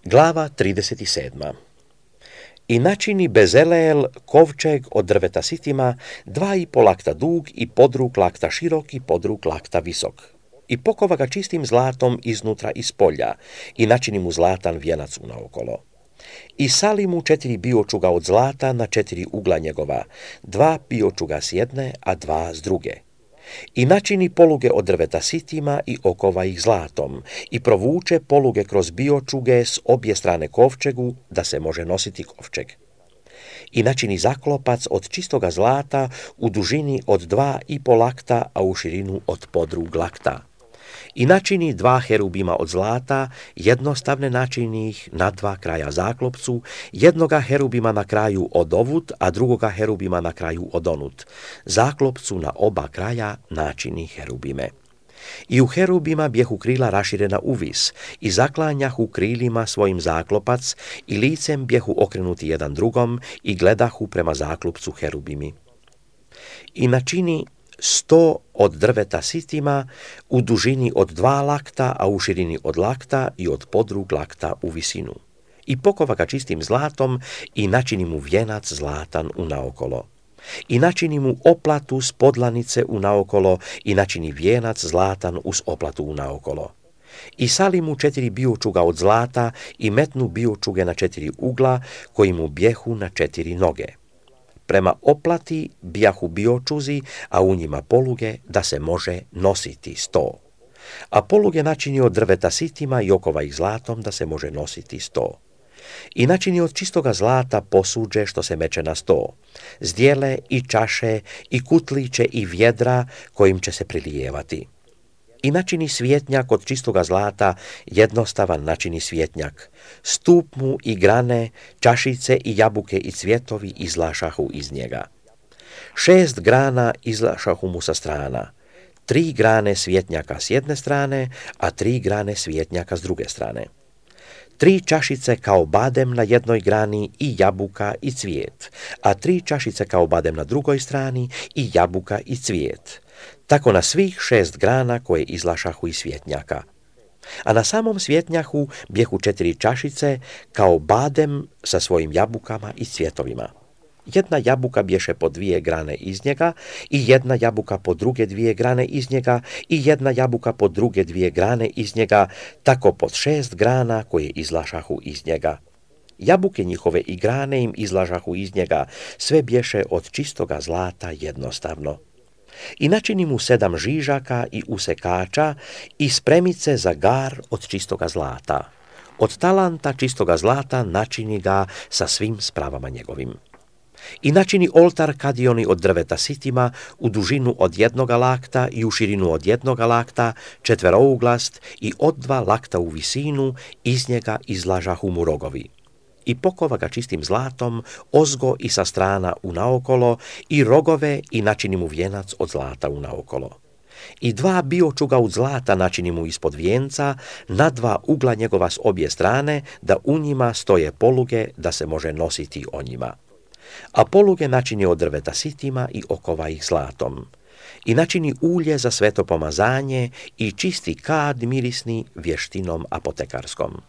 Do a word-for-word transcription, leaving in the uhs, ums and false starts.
Glava trideset sedma. I načini Bezaleel kovčeg od drveta sitima, dva i po lakta dug i podrug lakta širok i podrug lakta visok. I pokova ga čistim zlatom iznutra i spolja i načini mu zlatan vijenac unaokolo. I sali mu četiri biočuga od zlata na četiri ugla njegova, dva biočuga s jedne, a dva s druge. I načini poluge od drveta sitima i okova ih zlatom i provuče poluge kroz biočuge s obje strane kovčegu da se može nositi kovčeg. I načini zaklopac od čistoga zlata u dužini od dva i po lakta, a u širinu od podrug lakta. I načini dva herubima od zlata, jednostavne načini ih na dva kraja zaklopcu, jednoga herubima na kraju od ovut, a drugoga herubima na kraju od onut. Zaklopcu na oba kraja načini herubime. I u herubima bjehu krila raširena uvis, i zaklanjahu krilima svojim zaklopac, i licem bjehu okrenuti jedan drugom, i gledahu prema zaklopcu herubimi. I načini sto od drveta sitima u dužini od dva lakta, a u širini od lakta i od podrug lakta u visinu. I pokova ga čistim zlatom i načini mu vijenac zlatan unaokolo. I načini mu oplatu s podlanice unaokolo i načini vijenac zlatan uz oplatu unaokolo. I sali mu četiri biočuga od zlata i metnu biočuge na četiri ugla koji mu bjehu na četiri noge. Prema oplati bijahu biočuzi, a u njima poluge da se može nositi sto. A poluge načini od drveta sitima i okova ih zlatom da se može nositi sto. I načini od čistoga zlata posuđe što se meče na sto, zdjele i čaše i kutliće i vjedra kojim će se prilijevati. I načini svjetnjak od čistoga zlata, jednostavan načini svjetnjak. Stup mu i grane, čašice i jabuke i cvjetovi izlašahu iz njega. Šest grana izlašahu mu sa strana. Tri grane svjetnjaka s jedne strane, a tri grane svjetnjaka s druge strane. Tri čašice kao badem na jednoj grani i jabuka i cvijet, a tri čašice kao badem na drugoj strani i jabuka i cvijet. Tako na svih šest grana koje izlašahu iz svjetnjaka. A na samom svjetnjahu bjehu četiri čašice kao badem sa svojim jabukama i cvjetovima. Jedna jabuka bješe po dvije grane iz njega i jedna jabuka po druge dvije grane iz njega i jedna jabuka po druge dvije grane iz njega, tako pod šest grana koje izlašahu iz njega. Jabuke njihove i grane im izlažahu iz njega, sve bješe od čistoga zlata jednostavno. I načini mu sedam žižaka i usekača i spremice za gar od čistoga zlata. Od talanta čistoga zlata načini ga sa svim spravama njegovim. I načini oltar kadioni od drveta sitima u dužinu od jednoga lakta i u širinu od jednoga lakta, četverouglast i od dva lakta u visinu, iz njega izlažahu mu rogovi. I pokova ga čistim zlatom, ozgo i sa strana unaokolo, i rogove i načini mu vijenac od zlata unaokolo. I dva biočuga od zlata načini mu ispod vijenca, na dva ugla njegova s obje strane, da u njima stoje poluge, da se može nositi o njima. A poluge načini od drveta sitima i okova ih zlatom. I načini ulje za sveto pomazanje i čisti kad mirisni vještinom apotekarskom.